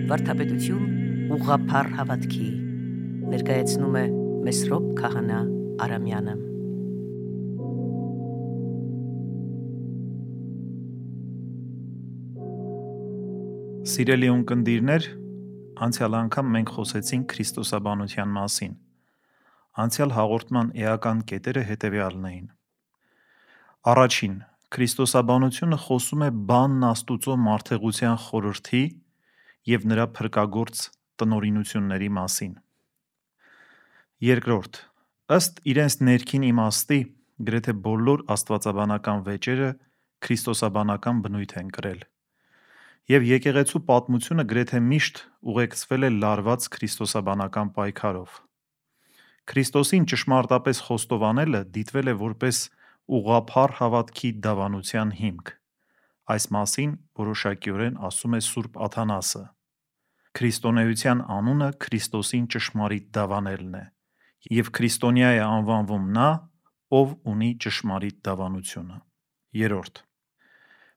Վարդապետություն ուղղափառ հավատքի ներկայացնում է Մեսրոպ Քահանա Արամյանը։ Սիրելի ունկնդիրներ, անցյալ անգամ մենք խոսեցինք քրիստոսաբանության մասին։ Անցյալ հաղորդման էական կետերը հետևյալն էին։ Առաջին, քրիստոսաբանությունը խոսում է բանն Աստուծո մարդեղության խորհրդի և նրա փրկագործ տնօրինությունների մասին։ Երկրորդ, ըստ իրենց ներքին իմաստի, գրեթե բոլոր աստվածաբանական վեճերը քրիստոսաբանական բնույթ են կրել, և եկեղեցու պատմությունը գրեթե միշտ ուղեկցվել է լարված քրիստոսաբանական պայքարով։ Քրիստոսին ճշմարտապես խոստովանելը դիտվել է որպես ուղղափառ հավատքի դավանության հիմք։ Այս մասին որոշակիորեն ասում է Սուրբ Աթանասը։ Քրիստոնեության անունը Քրիստոսին ճշմարիտ դավանելն է, և քրիստոնյա է անվանվում նա, ով ունի ճշմարիտ դավանությունը։ Երրորդ,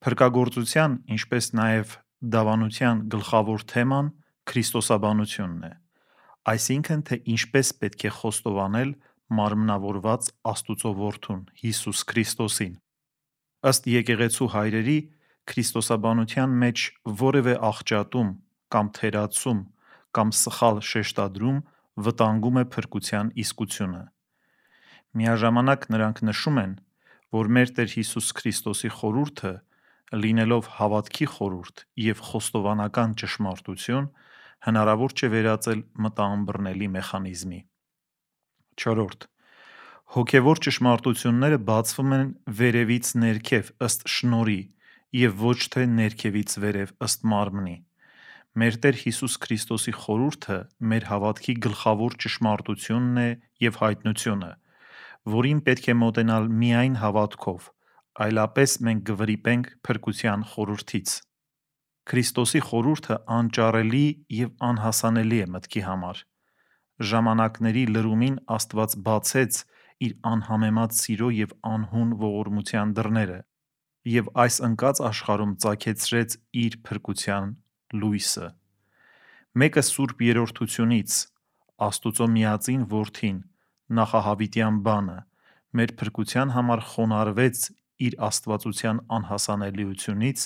փրկագործության, ինչպես նաև դավանության գլխավոր թեման քրիստոսաբանությունն է, այսինքն թե ինչպես պետք է խոստովանել մարմնավորված Աստուծո Որդուն՝ Հիսուս Քրիստոսին։ Ըստ եկեղեցու հայրերի, քրիստոսաբանության մեջ որևէ աղճատում կամ թերացում կամ սխալ շեշտադրում վտանգում է փրկության իսկությունը։ Միաժամանակ նրանք նշում են, որ մեր Տեր Հիսուս Քրիստոսի խորհուրդը, լինելով հավատքի խորհուրդ և խոստովանական ճշմարտություն, հնարավոր չէ վերածել մտաըմբռնելի մեխանիզմի։ Չորրորդ, հոգևոր ճշմարտությունները բացվում են վերևից ներքև ըստ շնորհի և ոչ թե ներքևից վերև ըստ մարմնի։ Մեր Տեր Հիսուս Քրիստոսի խորհուրդը մեր հավատքի գլխավոր ճշմարտությունն է և հայտնությունը, որին պետք է մոտենալ միայն հավատքով, այլապես մենք կվրիպենք փրկության խորհրդից։ Քրիստոսի խորհուրդը անճարելի և անհասանելի է մտքի համար։ Ժամանակների լրումին Աստված բացեց իր անհամեմատ սիրո և անհուն ողորմության դռները և այս ընկած աշխարհում ծագեցրեց իր փրկության լույսը։ Մեկը Սուրբ Երրորդությունից, Աստուծո միածին Որդին, նախահավիտյան բանը, մեր փրկության համար խոնարհվեց իր աստվածության անհասանելիությունից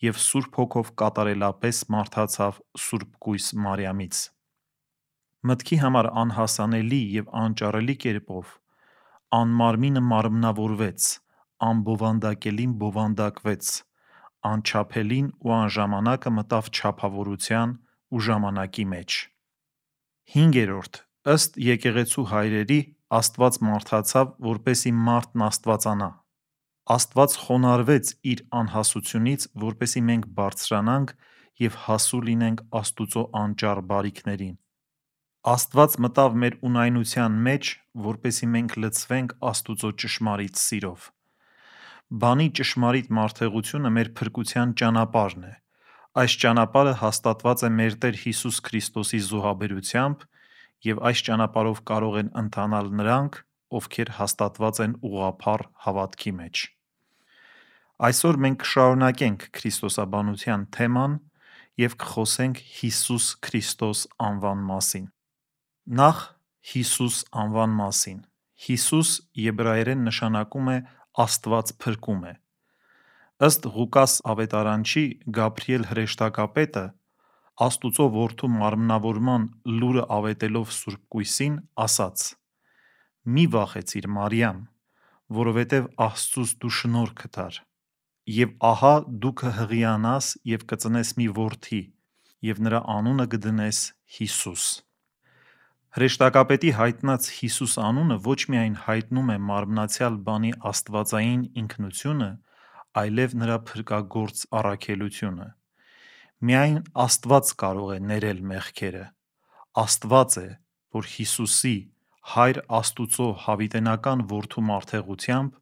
և Սուրբ Հոգով կատարելապես մարդացավ սուրբկույս Մարիամից։ Մտքի համար անհասանելի և անճարելի կերպով անմարմինը մարմնավորվեց, անբովանդակելին բովանդակվեց, անչափելին ու անժամանակը մտավ չափավորության ու ժամանակի մեջ։ Հինգերորդ, ըստ եկեղեցու հայրերի, Աստված մարդացավ, որպեսզի մարդն աստվածանա։ Աստված խոնարհվեց իր անհասությունից, որպեսզի մենք բարձրանանք և հասու լինենք Աստուծո անճառ բարիքներին։ Աստված մտավ մեր ունայնության մեջ, որպեսզի մենք լցվենք Աստուծո ճշմարիտ սիրով։ Բանի ճշմարիտ մարդեղությունը մեր փրկության ճանապարհն է։ Այս ճանապարհը հաստատված է մեր Տեր Հիսուս Քրիստոսի զոհաբերությամբ, և այս ճանապարհով կարող են ընթանալ նրանք, ովքեր հաստատված են ուղղափառ հավատքի մեջ։ Այսօր մենք կշարունակենք քրիստոսաբանության թեման և կխոսենք Հիսուս Քրիստոս անվան մասին։ Նախ Հիսուս անվան մասին։ Հիսուս եբրայերեն նշանակում է Աստված փրկում է։ Ըստ Ղուկաս ավետարանչի, Գաբրիել հրեշտակապետը, Աստուծո Որդու մարմնավորման լուրը ավետելով Սուրբկույսին, ասաց. «Մի վախեցիր, Մարիամ, որովհետև Աստծուց դու շնորհ գտար, և ահա դու կհղիանաս և կծնես մի որդի, և նրա անունը կդնես Հիսուս»։ Հրեշտակապետի հայտնած Հիսուս անունը ոչ միայն հայտնում է մարմնացյալ բանի աստվածային ինքնությունը, այլև նրա փրկագործ առաքելությունը։ Միայն Աստված կարող է ներել մեղքերը։ Աստված է, որ Հիսուսի՝ Հայր Աստուծո հավիտենական Որդու մարդեղությամբ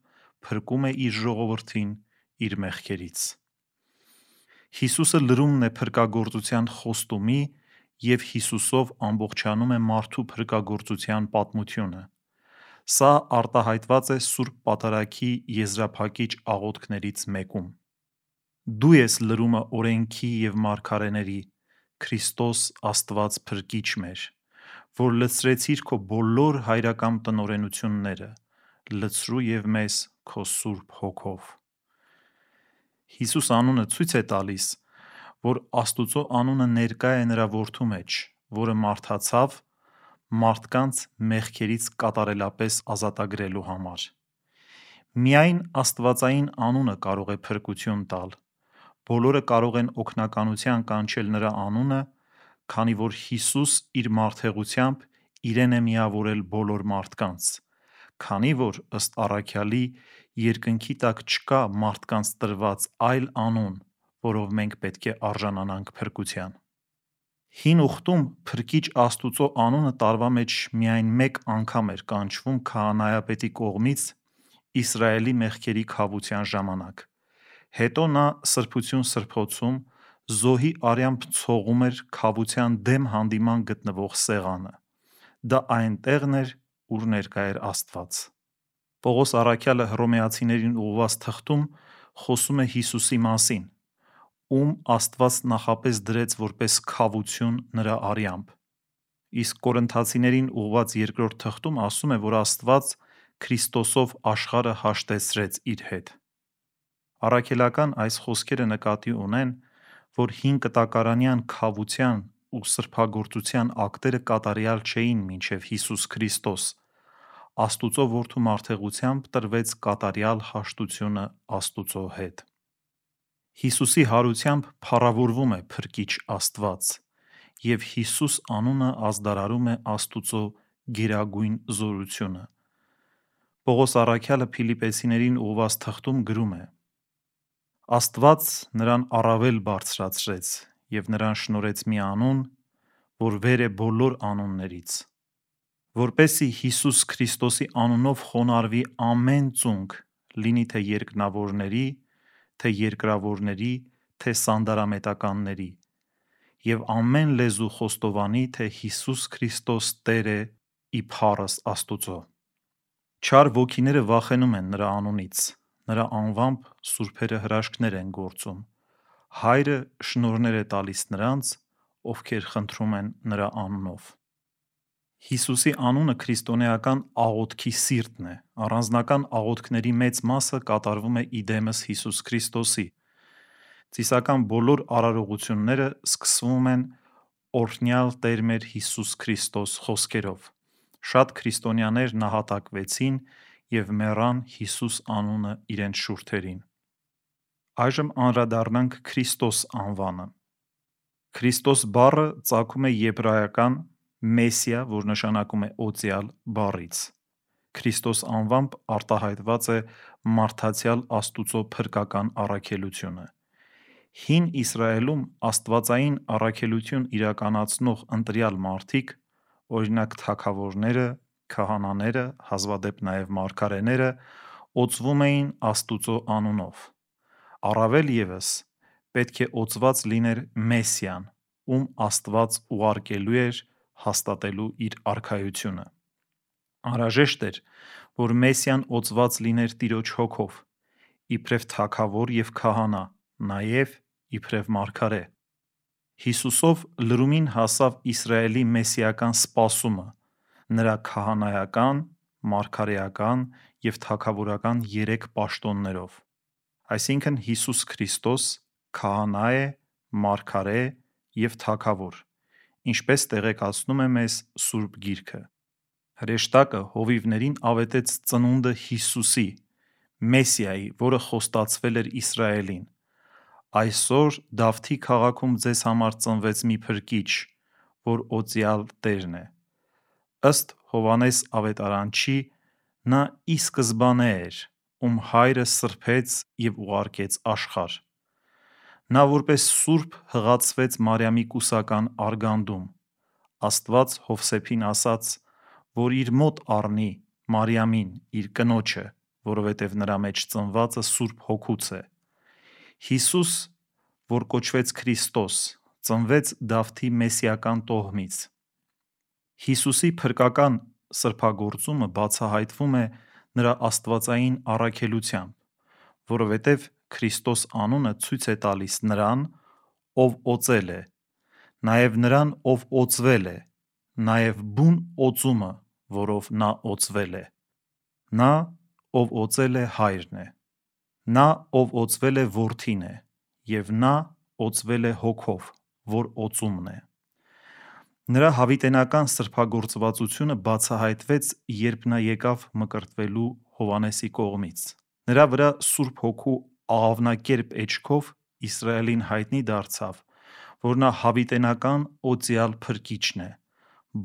փրկում է իր ժողովրդին իր մեղքերից։ Հիսուսը լրումն է փրկագործության խոստումի և Հիսուսով ամբողջանում է մարդու փրկագործության պատմությունը։ Սա արտահայտված է Սուրբ Պատարագի եզրափակիչ աղոթքներից մեկում. «Դու ես լրումը օրենքի և մարգարեների, Քրիստոս Աստված փրկիչ մեր, որ լցրեցիր քո բոլոր հայրական տնօրենությունները, լցրու եւ մեզ քո Սուրբ Հոգով։ Հիսուս անունը ցույց է տալիս, որ Աստուծո անունը ներկա է նրա որդու մեջ, որը մարդացավ մարդկանց մեղքերից կատարելապես ազատագրելու համար։ Միայն Աստվածային անունը կարող է փրկություն տալ։ Բոլորը կարող են օգնականության կանչել նրա անունը, քանի որ Հիսուս իր մարդեղությամբ իրեն է միավորել բոլոր մարդկանց, քանի որ ըստ առաքյալի երկնքի տակ չկա մարդկանց տրված այլ անուն, որով մենք պետք է արժանանանք փրկության։ Հին ուխտում Փրկիչ Աստուծո անունը տարվա մեջ միայն մեկ անգամ էր կանչվում քահանայապետի կողմից Իսրայելի մեղքերի քավության ժամանակ։ Հետո նա սրբություն սրբոցում զոհի արյամբ ցողում էր քավության դեմ հանդիման գտնվող սեղանը։ Դա այն տեղն էր, ուր ներկա էր Աստված։ Պողոս առաքյալը հռոմեացիներին ուղղված թղթում խոսում է Հիսուսի մասին, ում Աստված նախապես դրեց որպես քավություն նրա արյամբ։ Իսկ Կորինթացիներին ուղղված երկրորդ թղթում ասում է, որ Աստված Քրիստոսով աշխարհը հաշտեցրեց իր հետ։ Առաքելական այս խոսքերը նկատի ունեն, որ հին կտակարանյան քավության ու սրբագործության ակտերը կատարյալ չէին մինչև Հիսուս Քրիստոս։ Աստուծո որդու մարդեղությամբ տրվեց կատարյալ հաշտությունը Աստուծո հետ։ Հիսուսի հարությամբ փառավորվում է Փրկիչ Աստված, և Հիսուս անունը ազդարարում է Աստուծո գերագույն զորությունը։ Պողոս առաքյալը Փիլիպպեցիներին ուղղված թղթում գրում է. Աստված նրան առավել բարձրացրեց և նրան շնորհեց մի անուն, որ վեր է բոլոր անուններից, որպեսզի Հիսուս Քրիստոսի անունով խոնարհվի ամեն ծունկ, լինի թե երկնավորների, թե երկրավորների, թե սանդարամետականների, և ամեն լեզու խոստովանի, թե Հիսուս Քրիստոս Տեր է ի փառս Աստուծո։ Չար ոգիները վախենում են նրա անունից, նրա անվամբ սուրբերը հրաշքներ են գործում։ Հայրը շնորհներ է տալիս նրանց, ովքեր խնդրում են նրա անունով։ Հիսուսի անունը քրիստոնեական աղոթքի սիրտն է։ Առանձնական աղոթքների մեծ մասը կատարվում է ի դեմս Հիսուս Քրիստոսի։ Ծիսական բոլոր արարողությունները սկսվում են օրհնյալ Տեր մեր Հիսուս Քրիստոս խոսքերով։ Շատ քրիստոնյաներ նահատակվեցին և մեռան Հիսուս անունը իրենց շուրթերին։ Այժմ անդրադառնանք Քրիստոս անվանը։ Քրիստոս բառը ծագում է եբրայական «մեսիա», որ նշանակում է օծյալ բառից։ Քրիստոս անվամբ արտահայտված է մարդացյալ Աստուծո փրկական առաքելությունը։ Հին Իսրայելում աստվածային առաքելություն իրականացնող ընտրյալ մարդիկ, օրինակ թագավորները, քահանաները, հազվադեպ նաև մարգարեները, օծվում էին Աստուծո անունով։ Առավել ևս պետք է օծված լիներ Մեսիան, ում Աստված ուղարկելու էր հաստատելու իր արքայությունը։ Անհրաժեշտ էր, որ Մեսիան օծված լիներ Տիրոջ Հոգով, իբրև թագավոր և քահանա, նաև իբրև մարգարե։ Հիսուսով լրումին հասավ Իսրայելի մեսիական սպասումը նրա քահանայական, մարգարեական և թագավորական երեք պաշտոններով։ Այսինքն Հիսուս Քրիստոս քահանա է, մարգարե և թագավոր, ինչպես տեղեկացնում է մեզ Սուրբ Գիրքը։ Հրեշտակը հովիվներին ավետեց ծնունդը Հիսուսի, Մեսիայի, որը խոստացվել էր Իսրայելին։ Այսօր Դավթի քաղաքում ձեզ համար ծնվեց մի փրկիչ, որ օծյալ Տերն է։ Ըստ Հովհաննես ավետարանչի, նա ի սկզբանե էր, ում հայրը սրբեց և ուղարկեց աշխարհ։ Նա որպես սուրբ հղացվեց Մարիամի կուսական արգանդում։ Աստված Հովսեփին ասաց, որ իր մոտ առնի Մարիամին, իր կնոջը, որովհետև նրա մեջ ծնվածը Սուրբ Հոգուց է։ Հիսուս, որ կոչվեց Քրիստոս, ծնվեց Դավթի մեսիական տոհմից։ Հիսուսի փրկական սրբագործումը բացահայտվում է նրա աստվածային առաքելությամբ, որովհետև Քրիստոս անունը ցույց է տալիս նրան, ով օծել է, նաև նրան, ով օծվել է, նաև բուն օծումը, որով նա օծվել է։ Նա, ով օծել է, Հայրն է։ Նա, ով օծվել է, Որդին է, և նա օծվել է Հոգով, որ օծումն է։ Նրա հավիտենական սրբագործվածությունը բացահայտվեց, երբ նա եկավ մկրտվելու Հովհաննեսի կողմից։ Նրա վրա Սուրբ Հոգու աղավնակերպ էջքով Իսրայելին հայտնի դարձավ, որ նա հավիտենական օծյալ Փրկիչն է։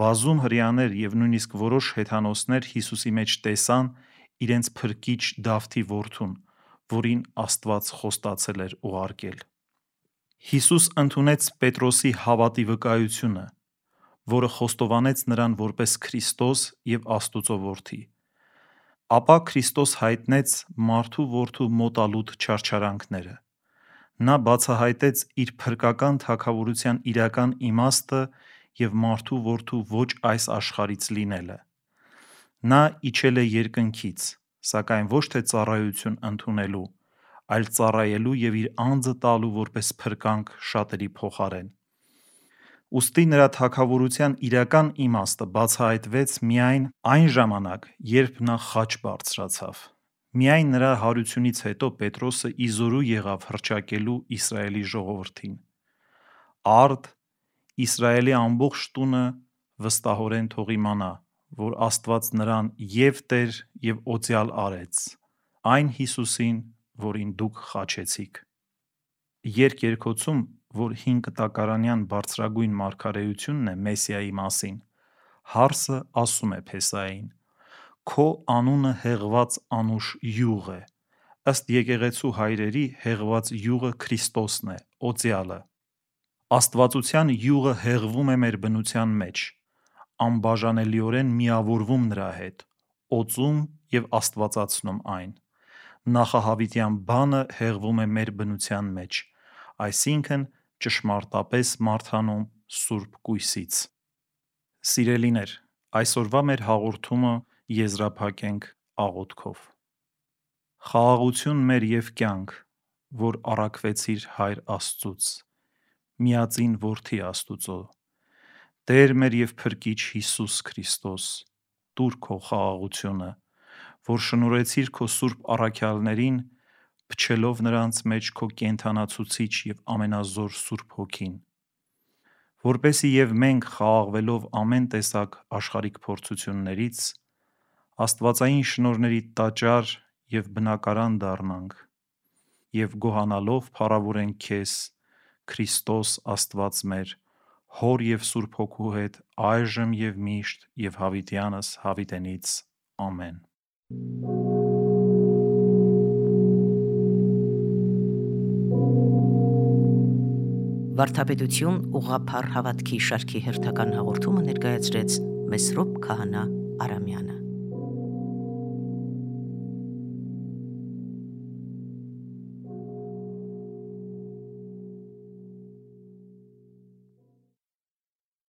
Բազում հրեաներ և նույնիսկ որոշ հեթանոսներ Հիսուսի մեջ տեսան իրենց Փրկիչ Դավթի որդուն, որին Աստված խոստացել էր ուղարկել։ Հիսուս ընդունեց Պետրոսի հավատի վկայությունը, որը խոստովանեց նրան որպես Քրիստոս և Աստուծո Որդի։ Ապա Քրիստոս հայտնեց մարդու որդու մոտալուտ չարչարանքները։ Նա բացահայտեց իր փրկական թագավորության իրական իմաստը և մարդու որդու ոչ այս աշխարհից լինելը։ Նա իջել է երկնքից, սակայն ոչ թե ծառայություն ընդունելու, այլ ծառայելու և իր անձը տալու որպես փրկանք շատերի փոխարեն։ Ուստի նրա թագավորության իրական իմաստը բացահայտվեց միայն այն ժամանակ, երբ նա խաչ բարձրացավ։ Միայն նրա հարությունից հետո Պետրոսը իզորու եղավ հռչակելու Իսրայելի ժողովրդին։ Արդ Իսրայելի ամբողջ տունը վստահորեն թող իմանա, որ Աստված նրան և Տեր և օծյալ արեց, այն Հիսուսին, որին դուք խաչեցիք։ Երկերկոցում, որ հին կտակարանյան բարձրագույն մարգարեությունն է Մեսիայի մասին, հարսը ասում է Փեսային. «Քո անունը հեղված անուշ յուղ է», ըստ եկեղեցու հայրերի հեղված յուղը Քրիստոսն է, օծյալը։ Աստվածության յուղը հեղվում է մեր բնության մեջ, անբաժանելիորեն միավորվում նրա հետ, օծում և աստվածացնում այն։ Նախահավիտյան բանը հեղվում է մեր բնության մեջ, այսինքն ճշմարտապես մարդանում Սուրբ Կույսից։ Սիրելիներ, այսօրվա մեր հաղորդումը եզրափակենք աղոթքով։ Խաղաղություն մեր և կյանք, որ առաքվեցիր Հայր Աստծուց, միածին Որդի Աստուծո, Տեր մեր և Փրկիչ Հիսուս Քրիստոս, տուր քո խաղաղությունը, որ շնորհեցիր քո սուրբ առաքյալներին, փչելով նրանց մեջ քո կենդանացուցիչ և ամենազոր Սուրբ Հոգին, որպեսզի և մենք խաղաղվելով ամեն տեսակ աշխարհիկ փորձություններից, աստվածային շնորհների տաճար և բնակարան դառնանք և գոհանալով փառավորենք քեզ, Քրիստոս Աստված մեր, Հոր և Սուրբ Հոգու հետ, այժմ և միշտ և հավիտյանս հավիտենից։ Ամեն։ Վարդապետություն ուղղափառ հավատքի շարքի հերթական հաղորդումը ներկայացրեց Մեսրոպ Քահանա Արամյանը։